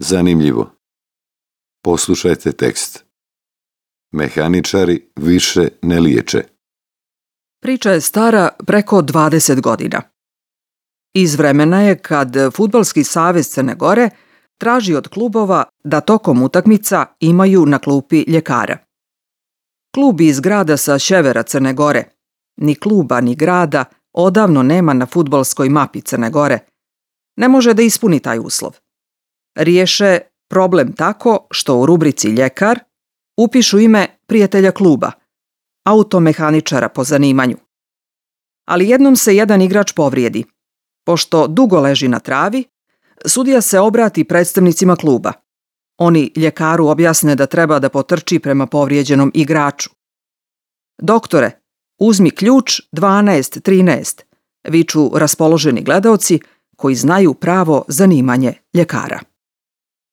Zanimljivo. Poslušajte tekst. Mehaničari više ne liječe. Priča je stara preko 20 godina. Iz vremena je kad Fudbalski savez Crne Gore traži od klubova da tokom utakmica imaju na klupi ljekara. Klub iz grada sa sjevera Crne Gore, ni kluba ni grada, odavno nema na fudbalskoj mapi Crne Gore, ne može da ispuni taj uslov. Riješe problem tako što u rubrici ljekar upišu ime prijatelja kluba, automehaničara po zanimanju. Ali jednom se jedan igrač povrijedi. Pošto dugo leži na travi, sudija se obrati predstavnicima kluba. Oni ljekaru objasne da treba da potrči prema povrijeđenom igraču. Doktore, uzmi ključ 12-13, viču raspoloženi gledaoci koji znaju pravo zanimanje ljekara.